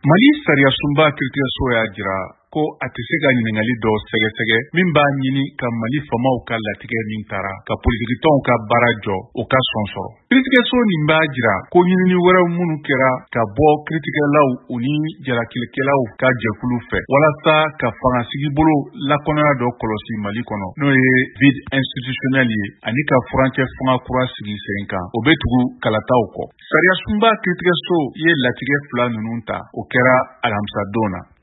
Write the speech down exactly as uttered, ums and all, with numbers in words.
Mali sariyasunba kiiritigɛso y'a jira ko a tɛ se ka ɲininkali dɔ sɛgɛsɛgɛ min b'a ɲini ka Mali faamaw ka latigɛ min tara ka politikitɔnw ka baara jɔ, o ka sɔn sɔrɔ. Kiiritigɛso nin b'a jira ko ɲinini wɛrɛw minnu kɛra ka bɔ kiiritigɛlaw u ni jalakilikɛlaw ka jɛkulu fɛ walasa ka fangasigibolo lakɔnɔya dɔ kɔlɔsi Mali kɔnɔ, n'o ye vide institutionnel ye, ani ka furancɛ fanga kura sigi sen kan, o bɛ tugu kalataw kɔ. Sariyasunba kiiritigɛso ye latigɛ fila ninnu ta, o kɛra alamisadon na.